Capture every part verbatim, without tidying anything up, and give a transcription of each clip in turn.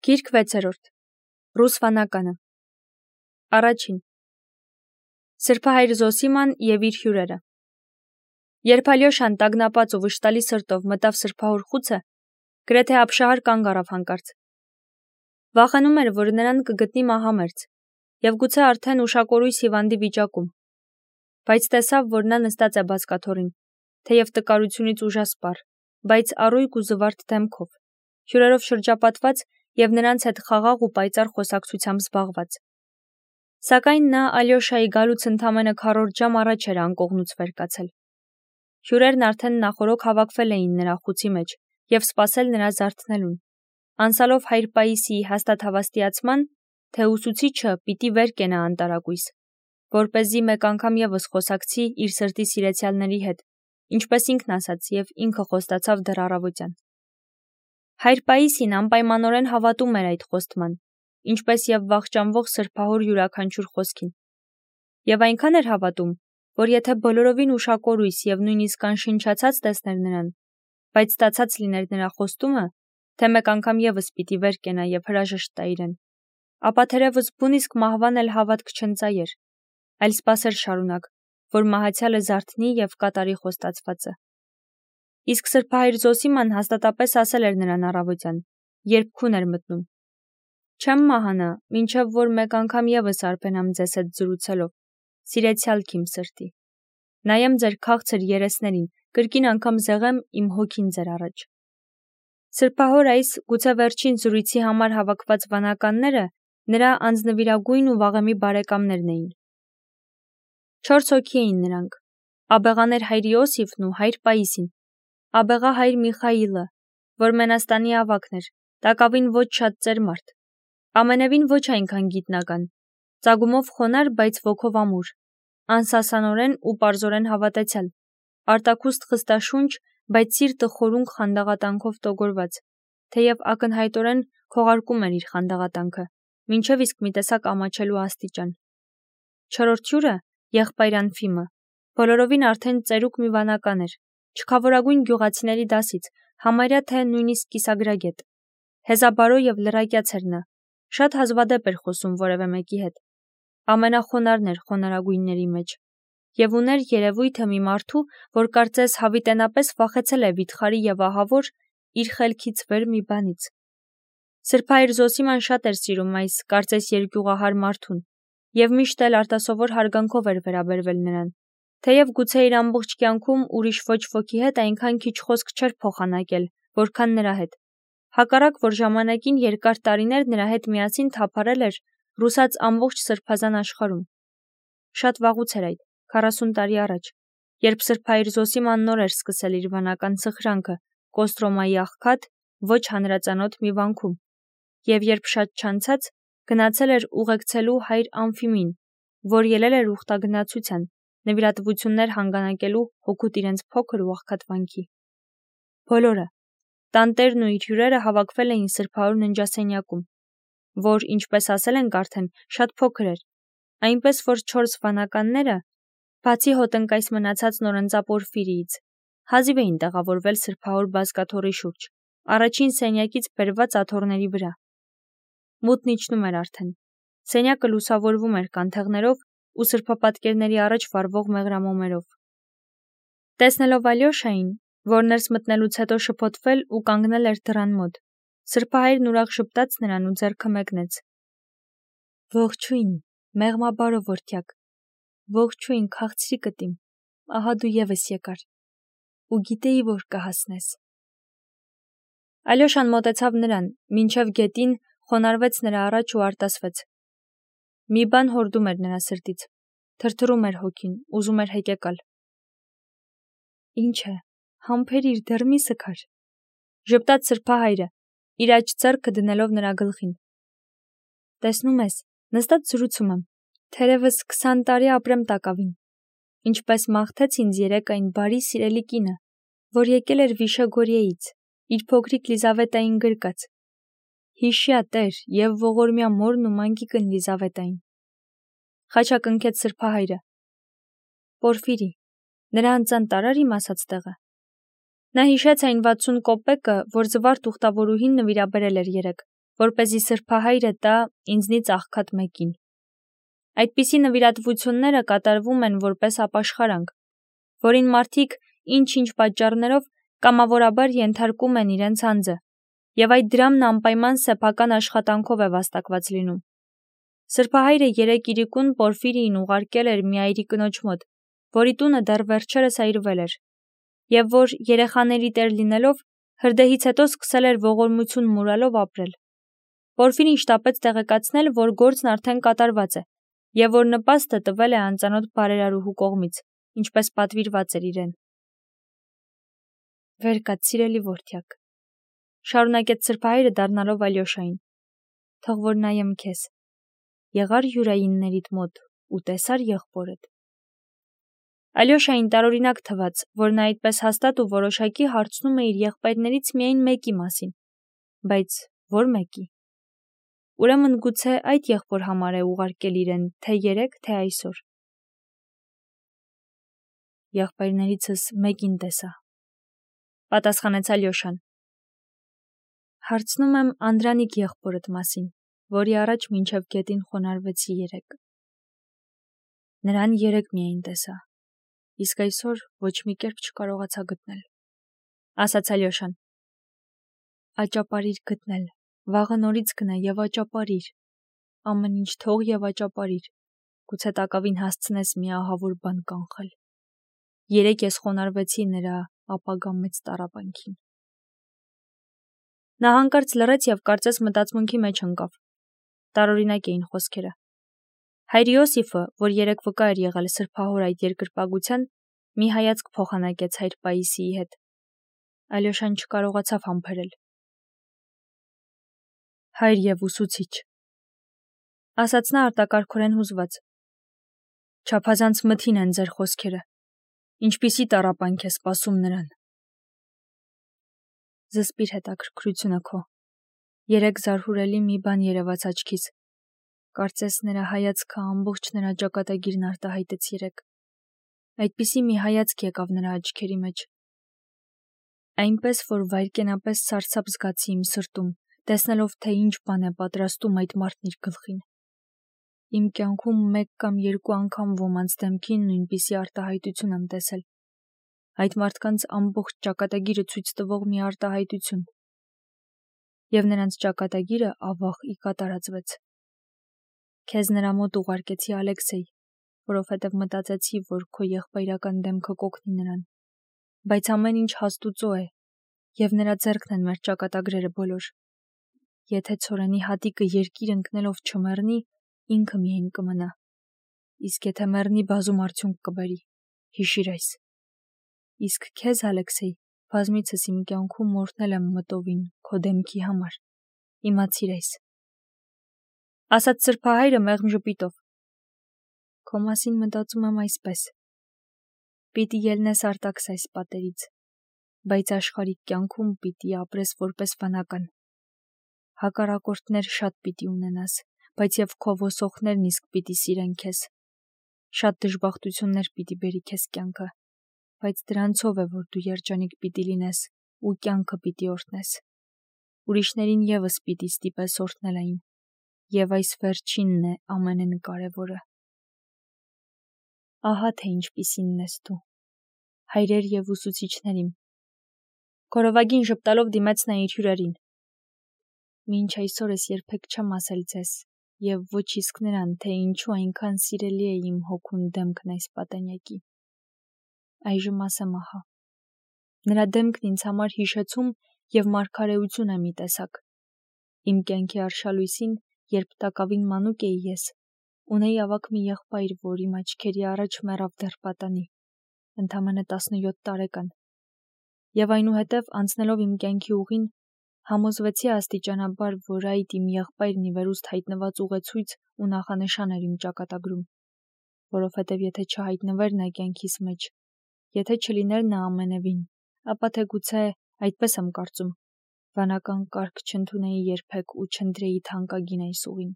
Գիրք վեցերորդ Ռուս վանականը Առաջին Սրբահայր Զոսիման և իր հյուրերը Երբ Ալյոշան տագնապած ու վշտալի սրտով մտավ սրբահոր խուցը, գրեթե ապշահար կանգ առավ հանկարծ։ Վախենում էր, որ նրան կգտնի մահամերձ, և գուցե արդեն ուշակորույս հիվանդի վիճակում, բայց տեսավ, որ նա նստած է բազկաթոռին, թեև տկարությունից ուժասպառ, բայց առույգ ու զվարթ դեմքով, հյուրերով շրջապատված և նրանց հետ խաղաղ ու պայծառ խոսակցությամբ զբաղված։ Սակայն նա Ալյոշայի գալուց ընդամենը քառորդ ժամ առաջ էր անկողնուց վեր կացել։ Հյուրերն արդեն նախօրոք հավաքվել էին նրա խուցի մեջ և սպասել նրա զարթնելուն, անցալով հայր Պաիսիի հաստատ հավաստիացման, թե ուսուցիչը պիտի վեր կենա անտարակույս, որպեսզի մեկ անգամ ևս խոսակցի իր սրտի սիրեցյալների հետ, ինչպես ինքն ասաց և ինքը խոստացավ դեռ առավոտյան։ Հայր Պաիսին անպայմանորեն հավատում էր այդ խոստման, ինչպես և վախճանվող սրբահոր յուրաքանչյուր խոսքին։ Եվ այնքան էր հավատում, որ եթե բոլորովին ուշակորույս և նույնիսկ անշնչացած տեսներ նրան, բայց ստացած լիներ նրա խոստումը, թե մեկ անգամ ևս պիտի վեր կենա և հրաժեշտ տա իրեն, ապա թերևս բուն իսկ մահվան էլ հավատք չընծայեր, այլ սպասեր շարունակ, որ մահացյալը զարթնի և կատարի խոստացվածը։ Իսկ սրբահայր Զոսիման հաստատապես ասել էր նրան առավոտյան, երբ քուն էր մտնում. «Չեմ մահանա, մինչև որ մեկ անգամ ևս արբենամ ձեզ հետ զրուցելով, սիրեցյալք իմ սրտի, նայեմ ձեր քաղցր երեսներին, կրկին անգամ զեղեմ իմ հոգին ձեր առաջ»։ Սրբահոր այս գուցե վերջին զրույցի համար հավաքված վանականները նրա անձնվիրագույն ու վաղեմի բարեկամներն էին։ Չորս հոգի էին նրանք. աբեղաներ հայր Իոսիֆն ու հայր Պաիսին, աբեղա հայր Միխայիլը, որ Մենաստանի ավագն էր, տակավին ոչ շատ ծեր մարդ, ամենևին ոչ այնքան գիտնական, ծագումով խոնար, բայց ոգով ամուր, անսասանորեն ու պարզորեն հավատացյալ, արտաքուստ խստաշունչ, բայց սիրտը խորունկ խանդաղատանքով տոգորված, թեև ակնհայտորեն քողարկում էր իր խանդաղատանքը, մինչև իսկ մի տեսակ ամաչելու աստիճան։ Չորրորդ հյուրը, եղբայր Անֆիմը, բոլորովին արդեն ծերուկ մի վանական էր, չքավորագույն գյուղացիների դասից, համարյա թե նույնիսկ կիսագրագետ։ Հեզաբարո և լրակյաց էր նա, շատ հազվադեպ էր խոսում որևէ մեկի հետ, ամենախոնարհն էր խոնարհագույնների մեջ, և ուներ երևույթը մի մարդու, որ կարծես հավիտենապես վախեցել է վիթխարի և ահավոր իր խելքից վեր մի բանից։ Սրբահայր Զոսիման շատ էր սիրում այս կարծես երկյուղահար մարդուն և միշտ էլ արտասովոր հարգանքով էր վերաբերվել նրան, թեև գուցե իր ամբողջ կյանքում ուրիշ ոչ ոքի հետ այնքան քիչ խոսք չէր փոխանակել, որքան նրա հետ, հակառակ որ ժամանակին երկար տարիներ նրա հետ միասին թափառել էր ռուսաց ամբողջ սրբազան աշխարհում։ Շատ վաղուց էր այդ, քառասուն տարի առաջ, երբ սրբահայր Զոսիման նոր էր սկսել իր վանական սխրանքը Կոստրոմայի աղքատ, ոչ հանրածանոթ մի վանքում, և երբ շատ չանցած գնացել էր ուղեկցելու հայր Անֆիմին, որ ելել էր ուխտագնացության, նվիրատվություններ հանգանակելու հօգուտ իրենց փոքր ու աղքատ վանքի։ Բոլորը, տանտերն ու իր հյուրերը հավաքվել էին սրբահոր ննջասենյակում, որ, ինչպես ասել ենք արդեն, շատ փոքր էր, այնպես որ չորս վանականները, բացի հոտնկայս մնացած նորընծա Պորֆիրիից, հազիվ էին տեղավորվել սրբահոր բազկաթոռի շուրջ, առաջին սենյակից բերված աթոռների վրա։ Մութն իջնում էր արդեն, սենյակը լուսավորվում էր կանթեղներով ու սրբապատկերների առաջ վառվող մեղրամոմերով։ Տեսնելով Ալյոշային, որ ներս մտնելուց հետո շփոթվել ու կանգնել էր դռան մոտ, սրբահայրն ուրախ ժպտաց նրան ու ձեռքը մեկնեց. «Ողջույն, մեղմաբարո որդյակ, ողջույն, քաղցրիկդ իմ, ահա դու ևս եկար, ու գիտեի, որ կհասնես»։ Ալյոշան մոտեցավ նրան, մինչև գետին խոնարհվեց նրա առաջ ու արտասվեց։ Մի բան հորդում էր նրա սրտից, թրթռում էր հոգին, ուզում էր հեկեկալ։ «Ինչ է, համբերիր, դեռ մի սգար», ժպտաց սրբահայրը, իր աջ ձեռքը դնելով նրա գլխին։ «Տեսնում ես, նստած զրուցում եմ, թերևս քսան տարի ապրեմ տակավին, ինչպես մաղթեց ինձ երեկ այն բարի սիրելի կինը, որ եկել էր Վիշեգորիեից, իր փոքրիկ Լիզավետային գրկած, հիշյա տեր և ողորմյա մորն ու մանկիկն Լիզավետային», խաչակնքեց սրբահայրը։ «Պորֆիրի, նրա անծան տարա՞ր իմ ասած տեղը»։ Նա հիշեց այն վաթսուն կոպեկը, որ զվարթ ուխտավորուհին նվիրաբերել էր երեկ, որպեսզի սրբահայրը տա ինձնից աղքատ մեկին։ Այդպիսի նվիրատվությունները կատարվում են որպես ապաշխարանք, որին մարդիկ ինչ-ինչ պատճառներով կամավորաբար ենթարկում են իրենց անձը, եւ այդ դրամն անպայման սեփական աշխատանքով է վաստակված լինում։ Սրբահայրը երեկ իրիկուն Պորֆիրիին ուղարկել էր մի այրի կնոջ մոտ, որի տունը դեռ վերջերս այրվել էր, եւ որ երեխաների տեր լինելով հրդեհից հետո սկսել էր ողորմություն մուրալով ապրել։ Պորֆիրին շտապեց տեղեկացնել, որ գործն արդեն կատարված է, եւ որ նպաստը տվել է անծանոթ բարերարուհու կողմից, ինչպես պատվիրված էր իրեն։ Վեր կաց, սիրելի որդյակ, շարունակեց սրբահայրը դառնալով Ալյոշային, թող որ նայեմ քեզ, եղար յուրայիններիդ մոտ ու տեսար եղբորդ։ Ալյոշային տարօրինակ թվաց, որ նա այդպես հաստատ ու որոշակի հարցնում է իր եղբայրներից միայն մեկի մասին, բայց որ մեկի։ Ուրեմն գուցե այդ եղբոր համար է ուղարկել իրեն թե երեկ, թե այսօր։ Եղբայրներիցս մեկին տեսա, պատասխանեց Ալյոշան։ Հարցնում եմ Անդրանիկ եղբորդ մասին, որի առաջ մինչև գետին խոնարհվեցի երեկ։ Նրան երեկ միայն տեսա, իսկ այսօր ոչ մի կերպ չկարողացա գտնել, ասաց Ալյոշան։ Աճապարիր գտնել, վաղը նորից գնա եւ աճապարիր, ամեն ինչ թող եւ աճապարիր, գուցե տակավին հասցնես մի ահավոր բան կանխել։ Երեկ ես խոնարհվեցի նրա ապագա մեծ տառապանքին։ Նա հանկարծ լռեց եւ կարծես մտածմունքի մեջ ընկավ։ Տարօրինակ էին խոսքերը։ Հայր Յոսիֆը, որ երեկ վկա էր եղել սրբահոր այդ երկրպագության, մի հայացք փոխանակեց հայր Պաիսիի հետ։ Ալյոշան չկարողացավ համբերել։ Հայր եւ ուսուցիչ, ասաց նա արտակարգորեն հուզված։ Չափազանց մթին են ձեր խոսքերը։ Ինչպիսի տառապանք է սպասում նրան։ Զսպիր հետաքրքրությունը քո։ Երեկ զարհուրելի մի բան երևաց աչքիս։ Կարծես նրա հայացքը ամբողջ նրա ճակատագիրն արտահայտեց երեկ։ Այդպիսի մի հայացք եկավ նրա աչքերի մեջ։ Այնպես, որ վայրկենապես սարսափ զգացի իմ սրտում, տեսնելով, թե ինչ բան է պատրաստում այդ մարդն իր գլխին։ Իմ կյանքում մեկ կամ երկու անգամ ոմանց դեմքին նույնպիսի արտահայտություն եմ տեսել։ Այդ մարդկանց ամբողջ ճակատագիրը ցույց տվող մի արտահայտություն։ Եվ նրանց ճակատագիրը ավաղ ի կատարածվեց։ Քեզ նրա մոտ ուղարկեցի Ալեքսեյ, որովհետև մտածեցի, որ քո եղբայրական դեմքը կօգնի նրան։ Բայց ամեն ինչ հաստուծո է, եւ նրա ձեռքն են մեր ճակատագրերը բոլոր։ Եթե ցորենի հատիկը երկիր ընկնելով չմեռնի, ինքը միայն կմնա։ Իսկ եթե մեռնի, բազում արդյունք կբերի։ Հիշիր այս։ Իսկ քեզ, Ալեքսեյ, բազմիցս իմ կյանքում մորթնել եմ մտովին քո դեմքի համար։ Իմացիր այս։ Ասաց սրբահայրը մեղմ ժպիտով։ Քո մասին մտածում եմ այսպես. Պիտի ելնես արտաքս այս պատերից, բայց աշխարհիկ կյանքում պիտի ապրես որպես վանական։ Հակառակորդներ շատ պիտի ունենաս, բայց եւ քո ոսողներն իսկ պիտի սիրեն քեզ։ Շատ դժբախտություններ պիտի բերի քեզ կյանքը, բայց դրանցով է, որ դու երջանիկ պիտի լինես ու կյանքը պիտի օրհնես։ Ուրիշներին եւս պիտի ստիպես օրհնել այն, եւ այս վերջինն է ամենեն կարևորը։ Ահա թե ինչպիսինն ես դու, հայրեր եւ ուսուցիչներ իմ։ Քորովագին ժպտալով դիմեց նա իր հյուրերին։ Մինչ այսօր ես երբեք չեմ ասել ձեզ, եւ ոչ իսկ նրան, թե ինչու այնքան սիրելի է իմ հոգուն դեմքն այս պատանյակի։ Այժմ ասեմ ահա։ Նրա դեմքն ինձ համար հիշեցում եւ մարգարեություն է մի տեսակ։ Իմ կյանքի արշալույսին, երբ տակավին մանուկ էի ես, ունեի ավակ մի եղբայր, որ իմ աչքերի առաջ մեռավ դեռ պատանի, ընդամենը տասնյոթ տարեկան։ Եվ այնուհետև անցնելով իմ կյանքի ուղին, համոզվեցի աստիճանաբար, որ այդ իմ եղբայրն ի վերուստ հայտնված ուղեցույց ու նախանշան էր իմ ճակատագրում, որովհետև եթե չհայտնվեր նա կյանքիս մեջ, եթե չլիներ նա ամենևին, ապա թե գուցե, այդպես եմ կարծում, վանական կարգ չընդունեի երբեք ու չընտրեի թանկագին այս ուղին։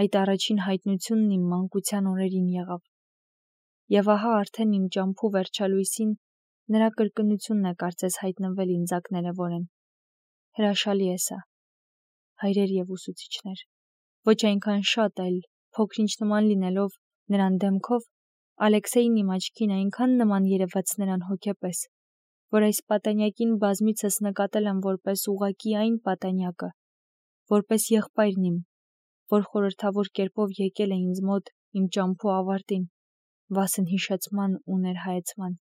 Այդ առաջին հայտնությունն իմ մանկության օրերին եղավ։ Եվ ահա արդեն իմ ճամփու վերջալույսին նրա կրկնությունն է կարծես հայտնվել ինձ ակներևորեն։ Հրաշալի է սա։ հայրեր եւ ուսուցիչներ, ոչ այնքան շատ, այլ փոքրինչ նման լինելով նրան դեմքով, Ալեքսեյն իմ աչքին այնքան նման երևաց նրան հոգեպես, որ այս պատանյակին բազմիցս նկատել եմ որպես ուղղակի այն պատանյակը, որպես եղբայրն իմ, որ խորհրդավոր կերպով եկել է ինձ մոտ իմ ճամփու ավարտին, վասն հիշեցման ու ներհայեցման,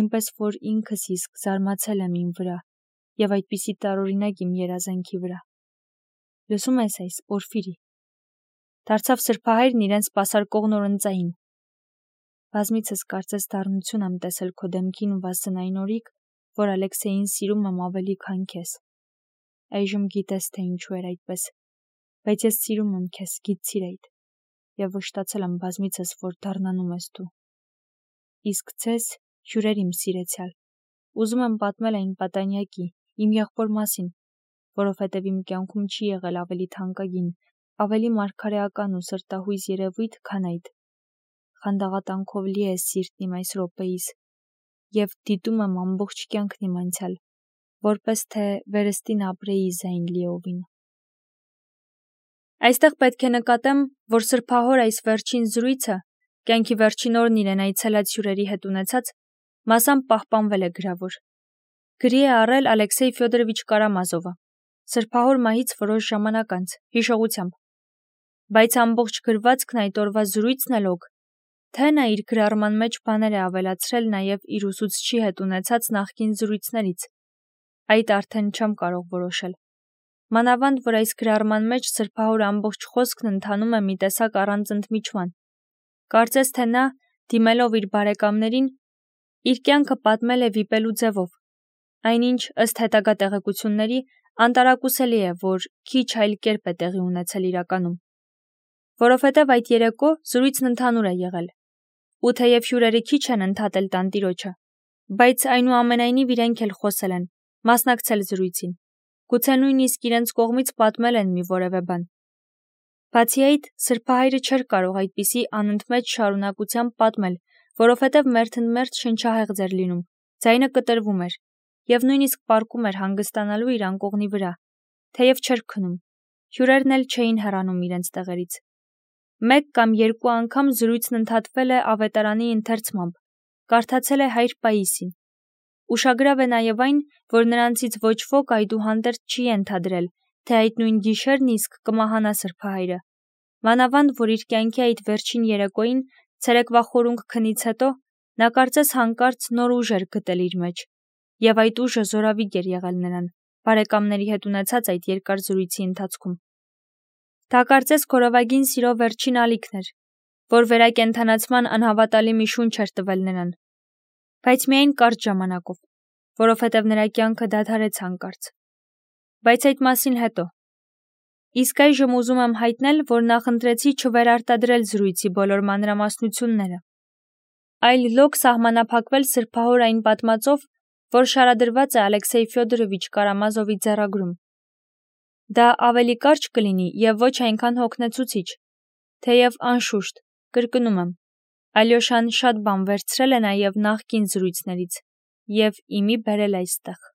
այնպես որ ինքս իսկ զարմացել եմ իմ վրա եւ այդպիսի տարօրինակ իմ երազանքի վրա։ Լսում ես այս, Պորֆիրի, դարձավ սրբահայրն իրեն սպասարկող նորընծային։ Բազմիցս կարծես դառնություն եմ տեսել քո դեմքին վասն այն օրիկ, որ Ալեքսեյին սիրում եմ ավելի քան քեզ։ Այժմ գիտես, թե ինչու էր այդպես, բայց ես սիրում եմ քեզ, գիտցիր այդ, եւ վշտացել եմ բազմիցս, որ դառնանում ես դու։ Իսկ ձեզ, հյուրեր իմ սիրեցյալ, ուզում եմ պատմել այն պատանյակի, իմ եղբոր մասին, որովհետև իմ կյանքում չի եղել ավելի թանկագին, ավելի մարգարեական ու սրտահույզ երևույթ, քան այդ։ Խանդաղատանքով լի է սիրտն իմ այս րոպեիս, եւ դիտում եմ ամբողջ կյանքն իմ անցյալ, որպես թե վերստին ապրեի զայն լիովին։ Այստեղ պետք է նկատեմ, որ սրբահոր այս վերջին զրույցը, կյանքի վերջին օրն իրեն այցելած հյուրերի հետ ունեցած, մասամբ պահպանվել է գրավոր։ Գրի է առել Ալեքսեյ Ֆյոդորովիչ Կարամազովը, սրբահոր մահից որոշ ժամանակ անց, հիշողությամբ։ Բայց ամբողջ գրվածքն այդ օրվա զրույցն էլ օգ, թե նա իր գրառման մեջ բաներ է ավելացրել նաև իր ուսուցչի հետ ունեցած նախկին զրույցներից, այդ արդեն չեմ կարող որոշել։ Մանավանդ, որ այս գրառման մեջ սրբահոր ամբողջ խոսքն ընթանում է մի տեսակ առանց ընդմիջման։ Կարծես թե նա, դիմելով իր բարեկամներին, իր կյանքը պատմել է վիպելու ձևով, այնինչ ըստ հետագա տեղեկությունների անտարակուսելի է, որ քիչ այլ կերպ է տեղի ունեցել իրականում։ Որովհետև այդ երեկո զրույցն ընդհանուր է եղել, ու թեև հյուրերը քիչ են ընդհատել տանտիրոջը, բայց այնուամենայնիվ իրենք էլ խոսել են, մասնակցել զրույցին, գուցե նույնիսկ իրենց կողմից պատմել են մի որևէ բան։ Բացի այդ, սրբահայրը չէր կարող այդպիսի անընդմեջ շարունակությամբ պատմել, որովհետև մերթընդմերթ շնչահեղձ էր լինում, ձայնը կտրվում էր, եւ նույնիսկ պառկում էր հանգստանալու իր անկողնի վրա, թեև չէր քնում, հյուրերն էլ չէին հեռանում իրենց տեղերից։ Մեկ կամ երկու անգամ զրույցն ընդհատվել է ավետարանի ընթերցմամբ, կարդացել է հայր Պաիսին։ Ուշագրավ է նաև այն, որ նրանցից ոչ ոք այդուհանդերձ չի ենթադրել, թե այդ նույն գիշերն իսկ կմահանա սրբահայրը, մանավանդ, որ իր կյանքի այդ վերջին երեկոյին, ցերեկվա խորունկ քնից հետո, նա կարծես հանկարծ նոր ուժ էր գտել իր մեջ, եւ այդ ուժը զորավիգ էր եղել նրան, բարեկամների հետ ունեցած այդ երկար զրույցի ընթացքում։ Դա կարծես քորովագին սիրո վերջին ալիքն էր, որ վերակենդանացման անհավատալի մի շունչ էր տվել նրան, բայց միայն կարճ ժամանակով, որովհետև նրա կյանքը դադարեց հանկարծ։ Բայց այդ մասին հետո։ Իսկ այժմ ուզում եմ հայտնել, որ նախընտրեցի չվերարտադրել զրույցի բոլոր մանրամասնությունները, այլ լոկ սահմանափակվել սրբահոր այն պատմածով, որ շարադրված է Ալեքսեյ Ֆյոդորովիչ Կարամազովի ձեռագրում։ Դա ավելի կարճ կլինի եւ ոչ այնքան հոգնեցուցիչ, թեև անշուշտ, կրկնում եմ, Ալյոշան շատ բան վերցրել է նաև նախկին զրույցներից եւ իմի բերել այստեղ։